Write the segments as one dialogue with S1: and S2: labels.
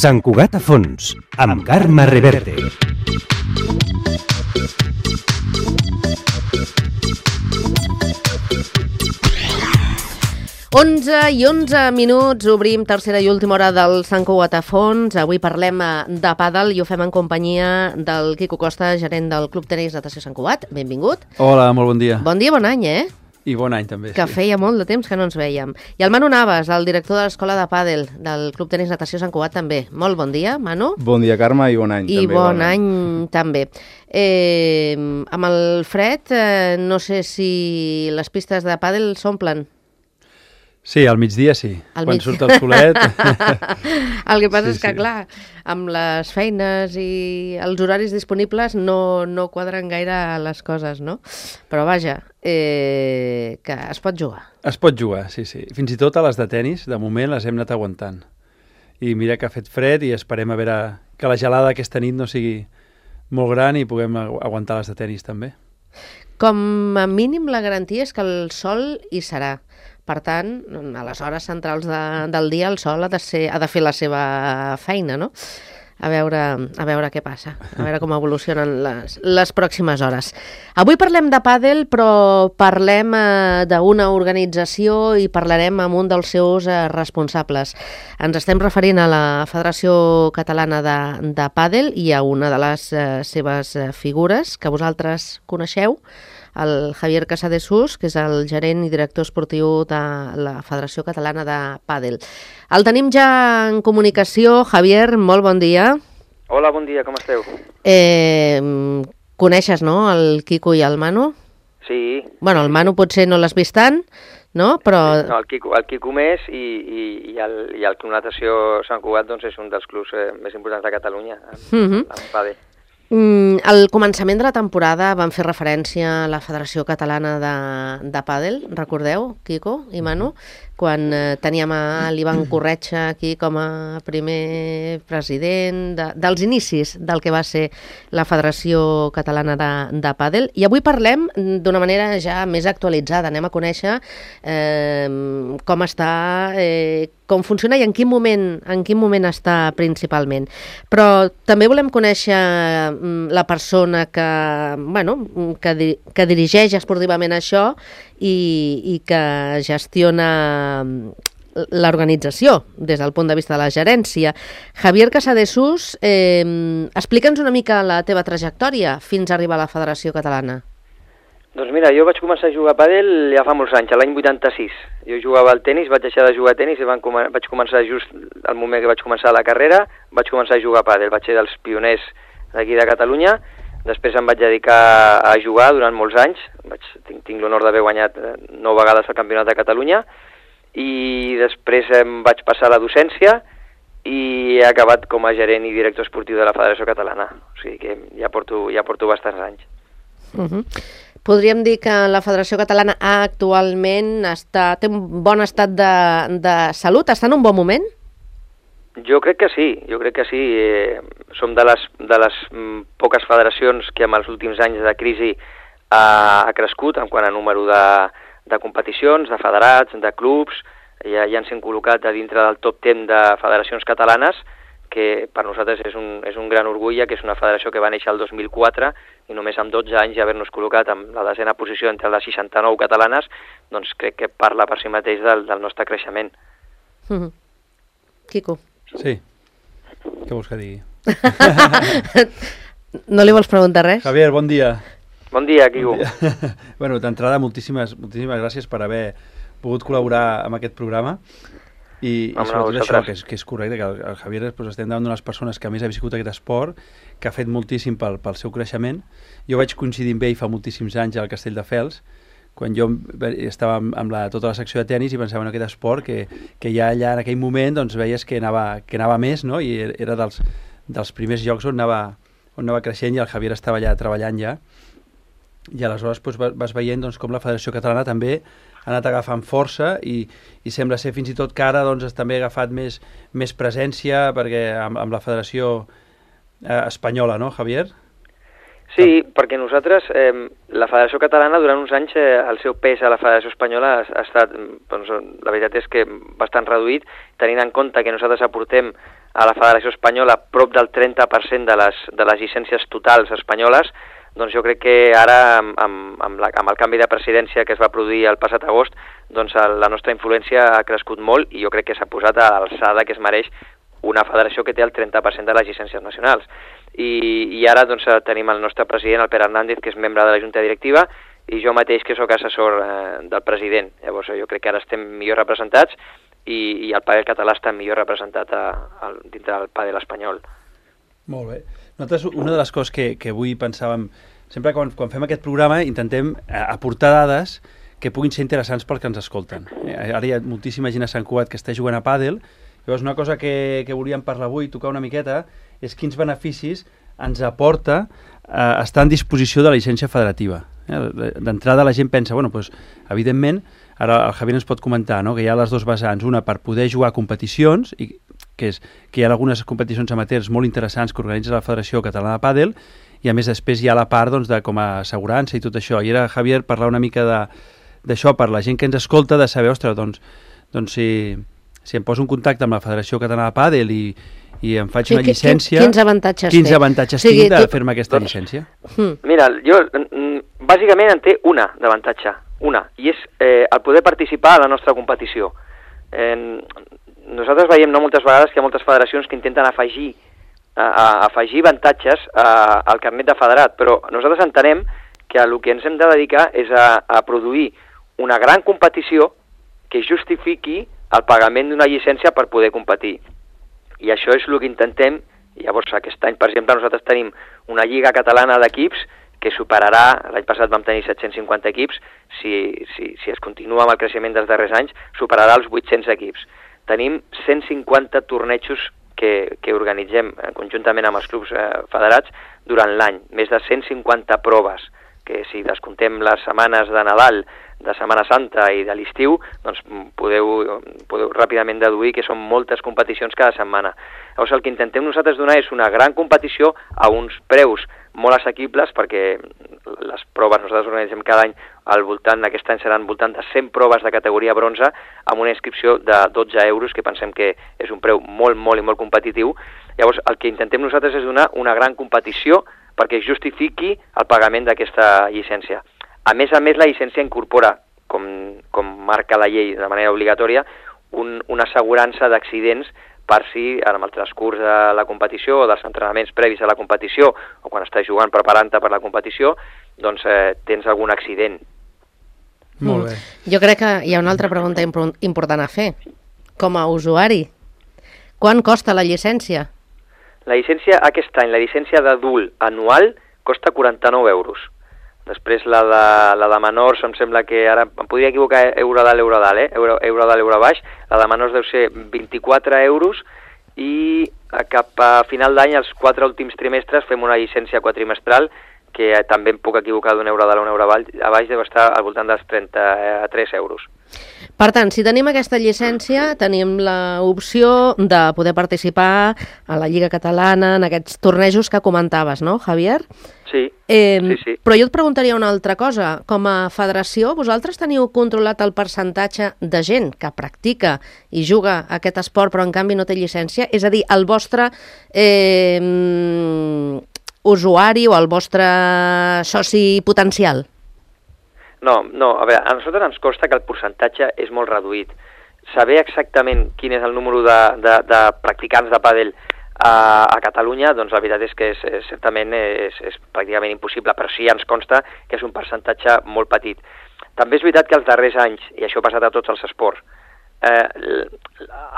S1: Sant Cugat a fons, amb Carme Reverte.
S2: i 11 minuts, obrim tercera i última hora del Sant Cugat a fons. Avui parlem de pàdel i ho fem en companyia del Quico Costa, gerent del Club Tenis Natació Sant Cugat. Benvingut.
S3: Hola, molt bon dia.
S2: Bon dia, bon any,
S3: I bon any, també.
S2: Que feia molt de temps que no ens vèiem. I el Manu Navas, el director de l'Escola de Pàdel del Club Tenis Natació Sant Cugat, també. Molt bon dia, Manu.
S4: Bon dia, Carme, i bon any.
S2: I també, bon any també. Amb el fred, no sé si les pistes de pàdel s'omplen.
S3: Sí, al migdia sí, quan surt el solet.
S2: El que passa és que, clar, amb les feines i els horaris disponibles no quadren gaire les coses, no? Però vaja, que es pot jugar.
S3: Es pot jugar, sí. Fins i tot a les de tenis, de moment les hem anat aguantant. I mira que ha fet fred i esperem a veure que la gelada aquesta nit no sigui molt gran i puguem aguantar les de tenis també.
S2: Com a mínim la garantia és que el sol hi serà. Per tant, a les hores centrals del dia el sol ha de fer la seva feina, no? A veure què passa, a veure com evolucionen les pròximes hores. Avui parlem de pàdel, però parlem d'una organització i parlarem amb un dels seus responsables. Ens estem referint a la Federació Catalana de Pàdel i a una de les seves figures que vosaltres coneixeu, el Javier Casadesús, que és el gerent i director esportiu de la Federació Catalana de Pàdel. El tenim ja en comunicació. Javier, molt bon dia.
S5: Hola, bon dia, com esteu?
S2: Coneixes, no?, el Quico i el Manu?
S5: Sí.
S2: Bueno, el Manu potser no l'has vist tant, no? Però...
S5: No, el Quico més i el Club Natació Sant Cugat doncs, és un dels clubs més importants de Catalunya en pàdel.
S2: Al començament de la temporada van fer referència a la Federació Catalana de Pàdel, recordeu, Quico i Manu, quan teníem a l'Ivan Corretja aquí com a primer president dels inicis del que va ser la Federació Catalana de Pàdel. I avui parlem d'una manera ja més actualitzada, anem a conèixer com està, com funciona i en quin moment està principalment. Però també volem conèixer la persona que dirigeix esportivament això i que gestiona l'organització des del punt de vista de la gerència. Javier Casadesús, explica'ns una mica la teva trajectòria fins a arribar a la Federació Catalana.
S5: Doncs mira, jo vaig començar a jugar a pàdel ja fa molts anys, l'any 86. Jo jugava al tenis, vaig deixar de jugar a tenis i vaig començar just al moment que vaig començar la carrera, vaig començar a jugar a pàdel. Vaig ser dels pioners d'aquí de Catalunya. Després em vaig dedicar a jugar durant molts anys. Tinc l'honor d'haver guanyat 9 vegades el Campionat de Catalunya i després em vaig passar a la docència i he acabat com a gerent i director esportiu de la Federació Catalana. O sigui que ja porto bastants anys.
S2: Podríem dir que la Federació Catalana actualment té un bon estat de salut? Està en un bon moment?
S5: Jo crec que sí. Som de les poques federacions que en els últims anys de crisi ha crescut en quant a número de competicions, de federats, de clubs. Ja ens hem col·locat a dintre del top 10 de federacions catalanes, que per nosaltres és un gran orgull, que és una federació que va néixer el 2004 i només amb 12 anys haver-nos col·locat en la 10a posició entre les 69 catalanes, doncs crec que parla per si mateix del nostre creixement.
S2: Quico.
S3: Sí. Què vols que digui?
S2: No li vols preguntar res?
S3: Javier, bon dia.
S5: Bon dia, Quico.
S3: Bueno, d'entrada, moltíssimes gràcies per haver pogut col·laborar amb aquest programa i sobretot això, que és correcte, que el Javier estem davant d'unes persones que a més ha viscut aquest esport, que ha fet moltíssim pel seu creixement. Jo vaig coincidir amb ell fa moltíssims anys al Castelldefels, quan jo estava amb tota la secció de tenis i pensava en aquest esport que ja allà en aquell moment doncs, veies que anava més, no? I era dels primers llocs on anava creixent i el Javier estava allà treballant ja. I aleshores vas veient doncs, com la Federació Catalana també ha anat agafant força i sembla ser fins i tot que ara doncs, també ha agafat més presència perquè amb la Federació Espanyola, no, Javier?
S5: Sí, perquè nosaltres, la Federació Catalana, durant uns anys, el seu pes a la Federació Espanyola ha estat, doncs, la veritat és que bastant reduït, tenint en compte que nosaltres aportem a la Federació Espanyola prop del 30% de les llicències totals espanyoles, doncs jo crec que ara, amb el canvi de presidència que es va produir el passat agost, doncs la nostra influència ha crescut molt i jo crec que s'ha posat a l'alçada que es mereix una federació que té el 30% de les llicències nacionals. I ara doncs, tenim el nostre president, el Pere Hernández, que és membre de la Junta Directiva, i jo mateix, que sóc assessor del president. Llavors jo crec que ara estem millor representats i el pàdel català està millor representat dintre del pàdel espanyol.
S3: Molt bé. Nosaltres, una de les coses que avui pensàvem, sempre quan fem aquest programa intentem aportar dades que puguin ser interessants pels que ens escolten. Ara hi ha moltíssima gent a Sant Cugat que està jugant a pàdel. Llavors, una cosa que volíem parlar avui, tocar una miqueta, és quins beneficis ens aporta estar en disposició de la llicència federativa. D'entrada la gent pensa, bueno, doncs, evidentment, ara el Javier ens pot comentar, no?, que hi ha les dues vessants, una per poder jugar a competicions, que hi ha algunes competicions amateurs molt interessants que organitza la Federació Catalana de Pàdel, i a més després hi ha la part doncs, de com a assegurança i tot això. I era, Javier, parlar una mica d'això per la gent que ens escolta, de saber, ostres, doncs si em poso en contacte amb la Federació Catalana de Pàdel i em faig una llicència...
S2: Quins avantatges
S3: tinc de fer-me aquesta llicència?
S5: Mira, jo bàsicament en té una d'avantatge, i és el poder participar a la nostra competició. Nosaltres veiem moltes vegades que hi ha moltes federacions que intenten afegir avantatges al carnet de federat, però nosaltres entenem que el que ens hem de dedicar és a produir una gran competició que justifiqui el pagament d'una llicència per poder competir. I això és el que intentem. Llavors, aquest any, per exemple, nosaltres tenim una lliga catalana d'equips que superarà, l'any passat vam tenir 750 equips, si es continua amb el creixement dels darrers anys, superarà els 800 equips. Tenim 150 tornejos que organitzem conjuntament amb els clubs federats durant l'any, més de 150 proves, que si descomptem les setmanes de Nadal, de Setmana Santa i de l'estiu, doncs podeu ràpidament deduir que són moltes competicions cada setmana. Llavors el que intentem nosaltres donar és una gran competició a uns preus molt assequibles, perquè les proves nosaltres organitzem cada any aquest any seran al voltant de 100 proves de categoria bronze amb una inscripció de 12 euros, que pensem que és un preu molt, molt i molt competitiu. Llavors el que intentem nosaltres és donar una gran competició perquè justifiqui el pagament d'aquesta llicència. A més, la llicència incorpora, com marca la llei de manera obligatòria, una assegurança d'accidents per si, en el transcurs de la competició o dels entrenaments previs a la competició o quan estàs jugant preparant-te per la competició, doncs tens algun accident.
S3: Molt bé.
S2: Jo crec que hi ha una altra pregunta important a fer. Com a usuari, quant costa la llicència?
S5: La llicència aquest any, la llicència d'adult anual, costa 49 euros. Després la de menors, em sembla que ara em podria equivocar, euro dalt, euro baix, la de menors deu ser 24 euros i cap a final d'any, els 4 últims trimestres, fem una llicència quadrimestral que també em puc equivocar d'un euro dalt a un euro baix, deu estar al voltant dels 33 euros.
S2: Per tant, si tenim aquesta llicència, tenim l'opció de poder participar a la Lliga Catalana, en aquests tornejos que comentaves, no, Javier?
S5: Sí, sí.
S2: Però jo et preguntaria una altra cosa. Com a federació, vosaltres teniu controlat el percentatge de gent que practica i juga aquest esport però en canvi no té llicència? És a dir, el vostre usuari o el vostre soci potencial?
S5: No, a veure, a nosaltres ens consta que el percentatge és molt reduït. Saber exactament quin és el número de practicants de pàdel a Catalunya, doncs la veritat és que certament és pràcticament impossible, però sí ens consta que és un percentatge molt petit. També és veritat que els darrers anys, i això ha passat a tots els esports,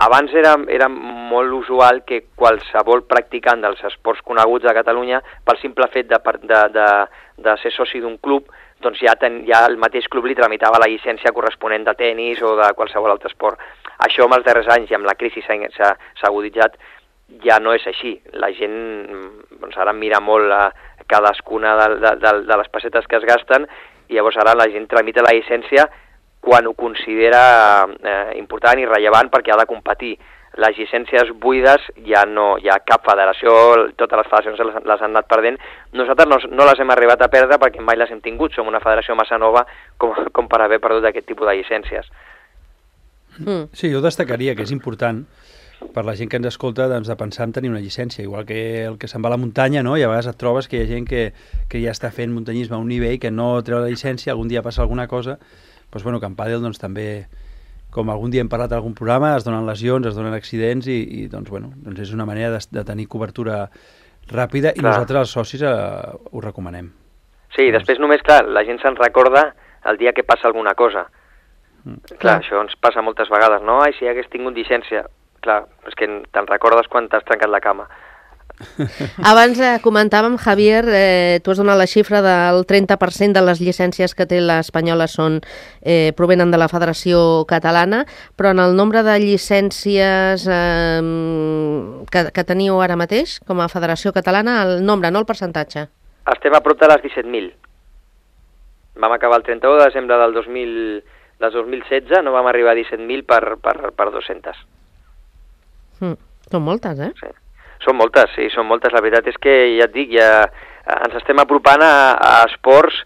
S5: abans era molt usual que qualsevol practicant dels esports coneguts a Catalunya, pel simple fet de ser soci d'un club, doncs ja el mateix club li tramitava la llicència corresponent de tenis o de qualsevol altre esport. Això en els darrers anys i amb la crisi s'ha aguditzat, ja no és així. La gent doncs ara mira molt cadascuna de les pessetes que es gasten i llavors ara la gent tramita la llicència quan ho considera important i rellevant perquè ha de competir. les llicències buides ja no hi ha cap federació, totes les federacions les han anat perdent. Nosaltres no les hem arribat a perdre perquè mai les hem tingut, som una federació massa nova com per haver perdut aquest tipus de llicències.
S3: Sí, jo destacaria que és important per la gent que ens escolta doncs, de pensar en tenir una llicència, igual que el que se'n va a la muntanya, no? I a vegades et trobes que hi ha gent que ja està fent muntanyisme a un nivell que no treu la llicència, algun dia passa alguna cosa, doncs, bueno, que en pàdel doncs, també, com algun dia hem parlat en algun programa, es donen lesions, es donen accidents i doncs, bueno, doncs és una manera de tenir cobertura ràpida i nosaltres els socis ho recomanem.
S5: Sí, després només, clar, la gent se'n recorda el dia que passa alguna cosa. Clar, això ens passa moltes vegades, no? Ai, si hagués tingut llicència. Clar, és que te'n recordes quan t'has trencat la cama.
S2: Abans comentàvem, Javier, tu has donat la xifra del 30% de les llicències que té l'Espanyola provenen de la Federació Catalana, però en el nombre de llicències que teniu ara mateix, com a Federació Catalana, el nombre, no el percentatge.
S5: Estem a prop de les 17.000. Vam acabar el 31 de desembre del 2016, no vam arribar a 17.000 per 200.
S2: Són moltes, eh?
S5: Sí. Són moltes, sí, són moltes. La veritat és que, ja et dic, ens estem apropant a esports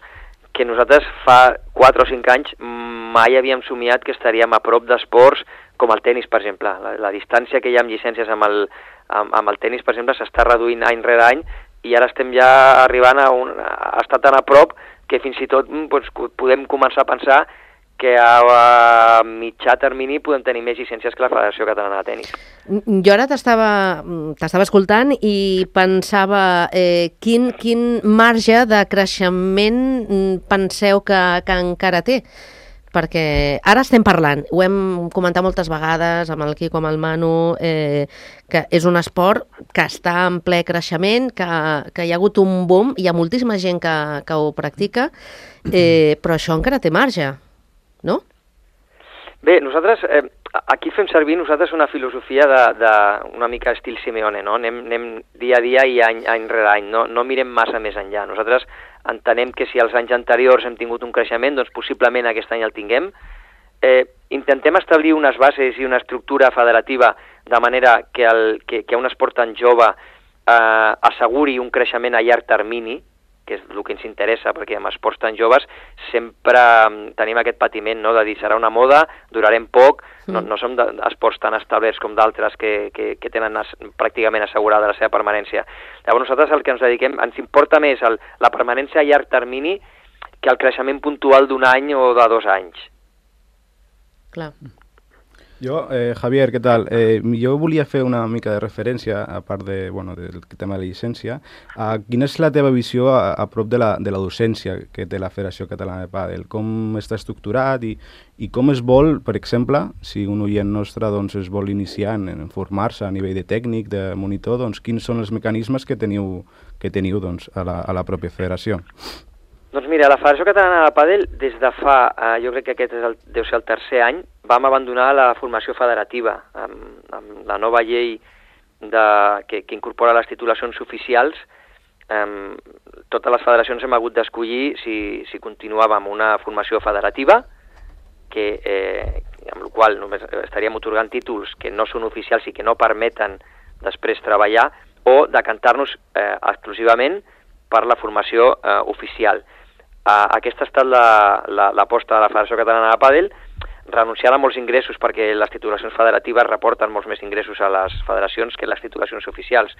S5: que nosaltres fa 4 o 5 anys mai havíem somiat que estaríem a prop d'esports com el tenis, per exemple. La distància que hi ha amb llicències amb el tenis, per exemple, s'està reduint any rere any i ara estem ja arribant a estar tan a prop que fins i tot podem començar a pensar que a mitjà termini podem tenir més llicències que la Federació Catalana de Tenis.
S2: Jo ara t'estava escoltant i pensava quin marge de creixement penseu que encara té? Perquè ara estem parlant, ho hem comentat moltes vegades amb el Quico, amb el Manu, que és un esport que està en ple creixement, que hi ha hagut un boom, hi ha moltíssima gent que ho practica, però això encara té marge, no?
S5: Bé, nosaltres aquí fem servir una filosofia una mica estil Simeone, no? Anem dia a dia i any rere any, no mirem massa més enllà. Nosaltres entenem que si els anys anteriors hem tingut un creixement, doncs possiblement aquest any el tinguem. Intentem establir unes bases i una estructura federativa de manera que un esport tan jove asseguri un creixement a llarg termini, que és el que ens interessa, perquè amb esports tan joves sempre tenim aquest patiment, no?, de dir serà una moda, durarem poc, no som esports tan establerts com d'altres que tenen pràcticament assegurada la seva permanència. Llavors nosaltres el que ens dediquem, ens importa més la permanència a llarg termini que el creixement puntual d'un any o de 2 anys.
S2: Clar.
S4: Jo, Javier, què tal? Jo volia fer una mica de referència, a part del tema de la llicència, quina és la teva visió a prop de la docència que té la Federació Catalana de Pàdel? Com està estructurat i com es vol, per exemple, si un oient nostre es vol iniciar en formar-se a nivell de tècnic, de monitor, doncs quins són els mecanismes que teniu a la pròpia federació?
S5: Doncs mira, la Federació Catalana de Pàdel, des de fa, jo crec que aquest deu ser el 3è any, vam abandonar la formació federativa amb la nova llei que incorpora les titulacions oficials. Totes les federacions hem hagut d'escollir si continuàvem una formació federativa, amb la qual només estaríem otorgant títols que no són oficials i que no permeten després treballar, o decantar-nos exclusivament per la formació oficial. Aquesta ha estat l'aposta de la Federació Catalana de Pàdel, renunciant a molts ingressos perquè les titulacions federatives reporten molts més ingressos a les federacions que les titulacions oficials.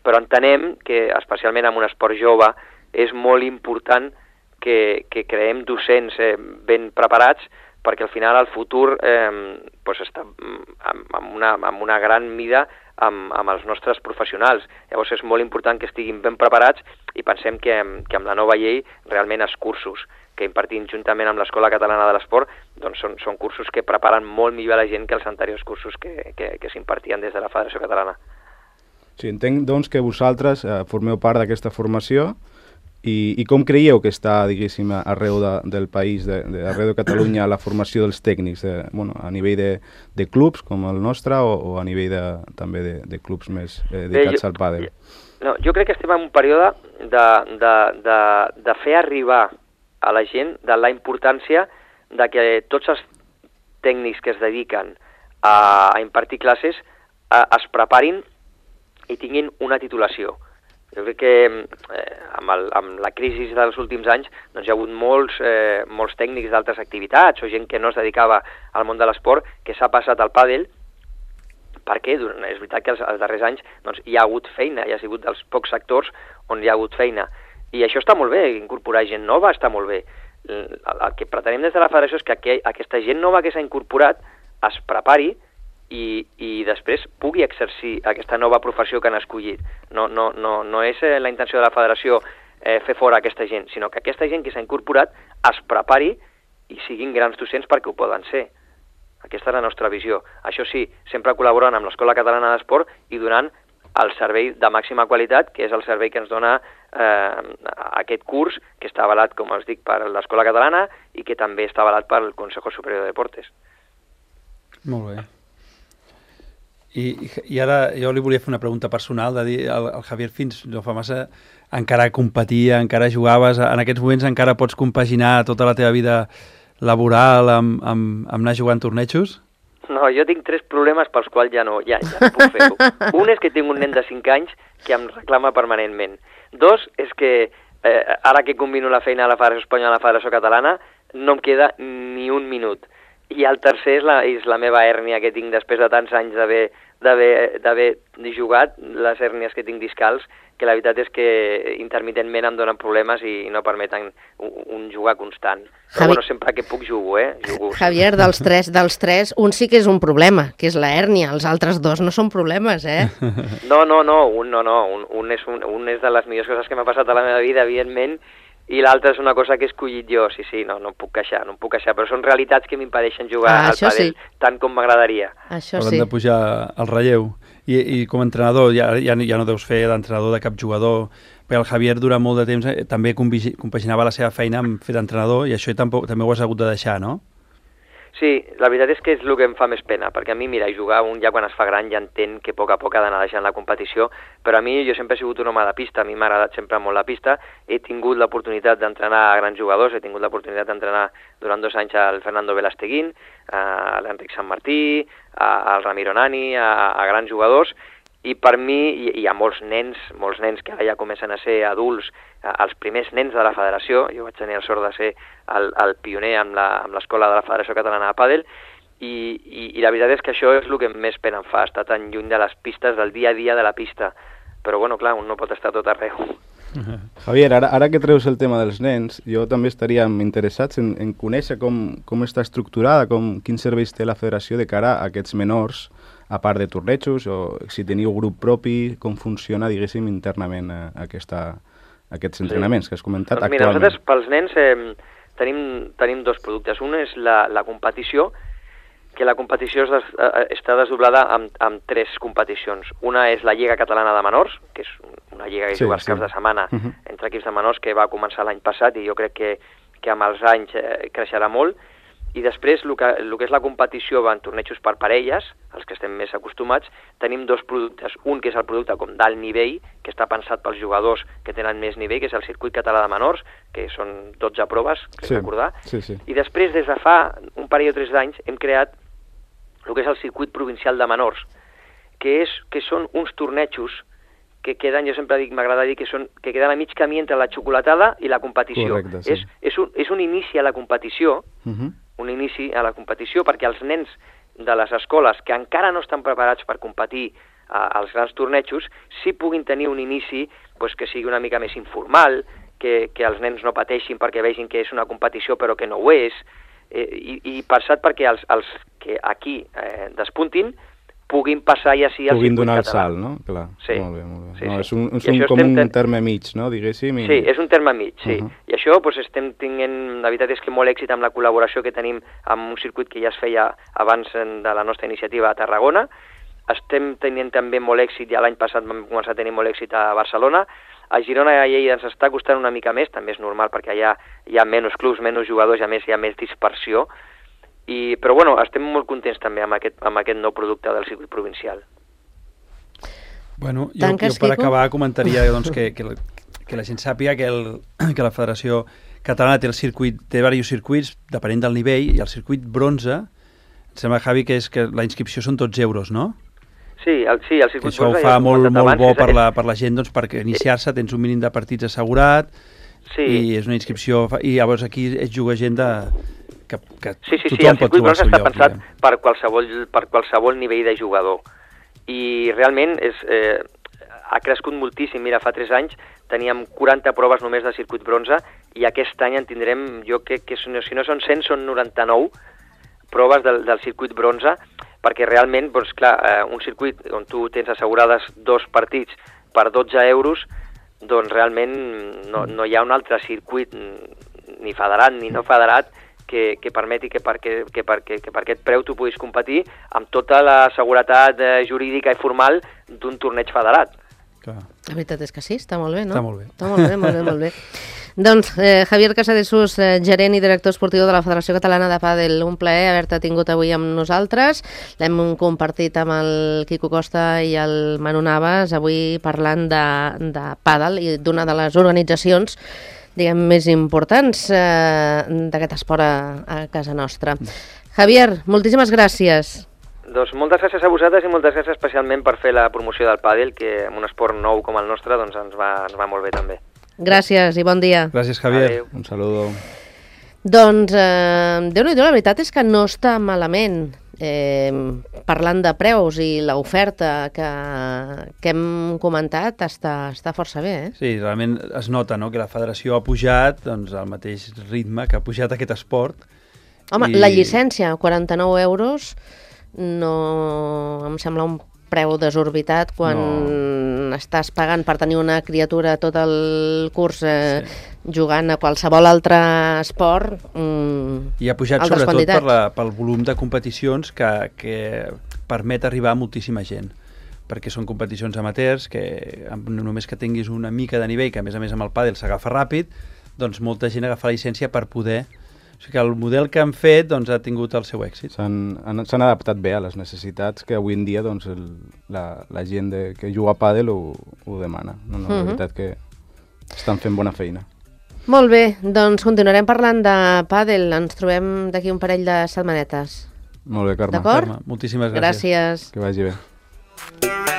S5: Però entenem que, especialment en un esport jove, és molt important que creem docents ben preparats perquè al final el futur està amb una gran mida amb els nostres professionals. Llavors és molt important que estiguin ben preparats i pensem que amb la nova llei realment els cursos que impartim juntament amb l'Escola Catalana de l'Esport doncs són cursos que preparen molt millor a la gent que els anteriors cursos que s'impartien des de la Federació Catalana.
S4: Sí, entenc doncs que vosaltres formeu part d'aquesta formació i com creieu que està, diguéssim, arreu del país, arreu de Catalunya, la formació dels tècnics, a nivell de clubs com el nostre o a nivell també de clubs més dedicats al pàdel?
S5: No, jo crec que estem en un període de fer arribar a la gent de la importància de que tots els tècnics que es dediquen a impartir classes es preparin i tinguin una titulació. Jo crec que amb la crisi dels últims anys doncs hi ha hagut molts tècnics d'altres activitats o gent que no es dedicava al món de l'esport que s'ha passat al pàdel perquè és veritat que els darrers anys doncs, hi ha hagut feina, hi ha sigut dels pocs sectors on hi ha hagut feina. I això està molt bé, incorporar gent nova està molt bé. El que pretenem des de la federació és que aquesta gent nova que s'ha incorporat es prepari i després pugui exercir aquesta nova professió que han escollit. No és la intenció de la federació fer fora aquesta gent, sinó que aquesta gent que s'ha incorporat es prepari i siguin grans docents perquè ho poden ser. Aquesta és la nostra visió. Això sí, sempre col·laborant amb l'Escola Catalana d'Esport i donant el servei de màxima qualitat, que és el servei que ens dona aquest curs, que està avalat, com us dic, per l'Escola Catalana i que també està avalat pel Consejo Superior de Deportes.
S3: Molt bé. I ara jo li volia fer una pregunta personal, de dir, el Javier fins no fa massa encara competia, encara jugaves, en aquests moments encara pots compaginar tota la teva vida laboral amb anar jugant tornejos?
S5: No, jo tinc 3 problemes pels quals ja no puc fer-ho. Un és que tinc un nen de 5 anys que em reclama permanentment. 2 és que ara que combino la feina a la Federació Espanyola i a la Federació Catalana no em queda ni un minut. I el tercer és la meva hèrnia que tinc després de tants anys d'haver jugat, les hèrnies que tinc discals, que la veritat és que intermitentment em donen problemes i no permeten un jugar constant. Però bueno, sempre que puc jugo, Jugo.
S2: Javier, dels tres, un sí que és un problema, que és la hèrnia. Els altres 2 no són problemes,
S5: No, un és de les millors coses que m'ha passat a la meva vida, evidentment, i l'altre és una cosa que he escollit jo, sí, no em puc queixar, però són realitats que m'impedeixen jugar al pàdel tant com m'agradaria.
S2: Això sí.
S3: Haurem de pujar al relleu. I com a entrenador, ja no deus fer d'entrenador de cap jugador, perquè el Javier durant molt de temps també compaginava la seva feina amb fer d'entrenador i això també ho has hagut de deixar, no?
S5: Sí, la veritat és que és el que em fa més pena, perquè a mi, mira, jugar un ja quan es fa gran ja entén que a poc ha d'anar deixant la competició, però a mi jo sempre he sigut un home de pista, a mi m'ha agradat sempre molt la pista, he tingut l'oportunitat d'entrenar a grans jugadors, he tingut l'oportunitat d'entrenar durant 2 anys al Fernando Velasteguín, a l'Enric Sant Martí, al Ramiro Nani, a grans jugadors, i per mi hi ha molts nens que ara ja comencen a ser adults, els primers nens de la federació, jo vaig tenir el sort de ser el pioner amb l'escola de la Federació Catalana de Pàdel, i la veritat és que això és el que més pena em fa, estar tan lluny de les pistes, del dia a dia de la pista, però bueno, clar, un no pot estar tot arreu.
S4: Javier, ara que treus el tema dels nens, jo també estaríem interessats en conèixer com està estructurada, quins serveis té la federació de cara a aquests menors, a part de tornejos, o si teniu grup propi, com funciona, diguéssim, internament aquests entrenaments que has comentat
S5: doncs mira,
S4: actualment.
S5: Nosaltres pels nens tenim 2 productes. Un és la competició, que la competició està desdoblada amb 3 competicions. Una és la Lliga Catalana de Menors, que és una lliga que juga els caps de setmana entre equips de menors, que va començar l'any passat i jo crec que amb els anys creixerà molt. I després, el que és la competició en tornejos per parelles, els que estem més acostumats, tenim 2 productes. Un que és el producte com d'alt nivell, que està pensat pels jugadors que tenen més nivell, que és el Circuit Català de Menors, que són 12 proves, recordar.
S4: Sí.
S5: I després, des de fa un parell o 3 d'anys, hem creat el que és el Circuit Provincial de Menors, que són uns tornejos que queden, jo sempre dic, m'agrada dir que queden a mig camí entre la xocolatada i la competició.
S4: Correcte, sí.
S5: És un inici a la competició, perquè els nens de les escoles que encara no estan preparats per competir als grans tornejos sí puguin tenir un inici que sigui una mica més informal, que els nens no pateixin perquè vegin que és una competició però que no ho és, i pensat perquè els que aquí despuntin puguin passar ja sí al
S4: puguin
S5: circuit
S4: donar
S5: català.
S4: El salt, no? Clar,
S5: sí.
S4: Molt bé, molt bé.
S5: Sí,
S4: no,
S5: sí.
S4: És com un terme mig, no? Diguéssim.
S5: Sí, és un terme mig, sí. I això estem tenint, la veritat és que molt èxit amb la col·laboració que tenim amb un circuit que ja es feia abans de la nostra iniciativa a Tarragona. Estem tenint també molt èxit, ja l'any passat vam començar a tenir molt èxit a Barcelona. A Girona i a Lleida ens està costant una mica més, també és normal perquè allà hi ha menys clubs, menys jugadors, i a més hi ha més dispersió. Però bueno, estem molt contents també amb aquest nou producte del circuit provincial.
S3: Bueno, jo per acabar comentaria doncs, que la gent sàpiga que la Federació Catalana té diversos circuits depenent del nivell, i el circuit bronze, em sembla, Javi, que la inscripció són tots euros, no?
S5: Sí, el circuit
S3: això
S5: bronze...
S3: ho fa molt bo per la gent, doncs, perquè iniciar-se tens un mínim de partits assegurat, i és una inscripció... I llavors aquí es juga gent que tothom pot trobar el seu lloc. Sí, el circuit bronze està pensat per qualsevol nivell de jugador. I realment ha crescut moltíssim. Mira, fa 3 anys teníem 40 proves només de circuit bronze i aquest any en tindrem, jo crec que si no són 100, són 99 proves del circuit bronze, perquè realment, doncs clar, un circuit on tu tens assegurades 2 partits per 12 euros, doncs realment no hi ha un altre circuit, ni federat ni no federat, que permeti que per aquest preu tu puguis competir amb tota la seguretat jurídica i formal d'un torneig federat. Clar.
S2: La veritat és que sí, està molt bé, no?
S3: Està molt bé.
S2: Està molt bé, molt bé, molt bé. Doncs, Javier Casadesús, gerent i director esportiu de la Federació Catalana de Pàdel, un plaer haver-te tingut avui amb nosaltres. L'hem compartit amb el Quico Costa i el Manu Navas, avui parlant de pàdel i d'una de les organitzacions diguem, més importants d'aquest esport a casa nostra. Javier, moltíssimes gràcies.
S5: Doncs moltes gràcies a vosaltres i moltes gràcies especialment per fer la promoció del pàdel, que en un esport nou com el nostre doncs ens va molt bé també.
S2: Gràcies i bon dia.
S3: Gràcies, Javier.
S5: Adéu.
S4: Un saludo.
S2: Doncs, Déu-n'hi-do, la veritat és que no està malament. Parlant de preus i l'oferta que hem comentat està força bé, eh?
S3: Sí, realment es nota, no?, que la federació ha pujat doncs, al mateix ritme que ha pujat aquest esport.
S2: Home, la llicència, 49 euros, no em sembla un preu desorbitat quan estàs pagant per tenir una criatura tot el curs jugant a qualsevol altre esport.
S3: I ha pujat sobretot pel volum de competicions que permet arribar a moltíssima gent, perquè són competicions amateurs que només que tinguis una mica de nivell, que a més amb el pàdel s'agafa ràpid, doncs molta gent agafa la llicència per poder... O sigui que el model que han fet doncs, ha tingut el seu èxit.
S4: S'han adaptat bé a les necessitats que avui en dia doncs, la gent que juga a pàdel ho demana. La veritat que estan fent bona feina.
S2: Molt bé, doncs continuarem parlant de pàdel. Ens trobem d'aquí un parell de setmanetes.
S4: Molt bé, Carme.
S2: D'acord?
S3: Carme, moltíssimes gràcies.
S2: Gràcies.
S4: Que vagi bé.